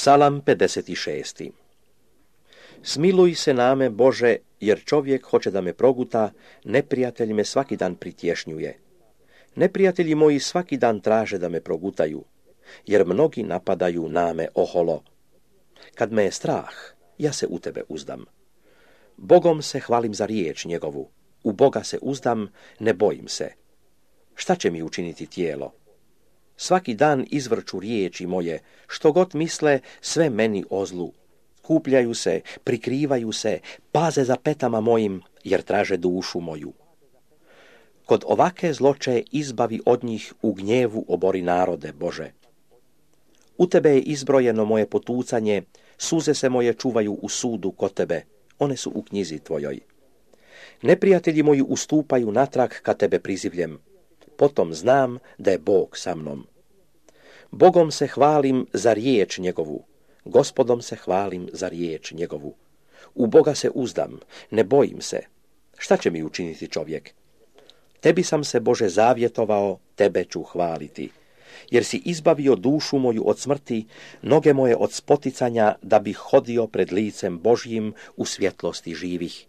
Psalam 56. Smiluj se name, Bože, jer čovjek hoće da me proguta, neprijatelj me svaki dan pritješnjuje. Neprijatelji moji svaki dan traže da me progutaju, jer mnogi napadaju name oholo. Kad me je strah, ja se u tebe uzdam. Bogom se hvalim za riječ njegovu, u Boga se uzdam, ne bojim se. Šta će mi učiniti tijelo? Svaki dan izvrću riječi moje, što god misle, sve meni o zlu. Kupljaju se, prikrivaju se, paze za petama mojim, jer traže dušu moju. Kod ovake zloče izbavi od njih, u gnjevu obori narode, Bože. U tebe je izbrojeno moje potucanje, suze se moje čuvaju u sudu kod tebe, one su u knjizi tvojoj. Neprijatelji moji ustupaju natrag kad tebe prizivljem, potom znam da je Bog sa mnom. Bogom se hvalim za riječ njegovu, Gospodom se hvalim za riječ njegovu. U Boga se uzdam, ne bojim se. Šta će mi učiniti čovjek? Tebi sam se, Bože, zavjetovao, tebe ću hvaliti. Jer si izbavio dušu moju od smrti, noge moje od spoticanja, da bih hodio pred licem Božjim u svjetlosti živih.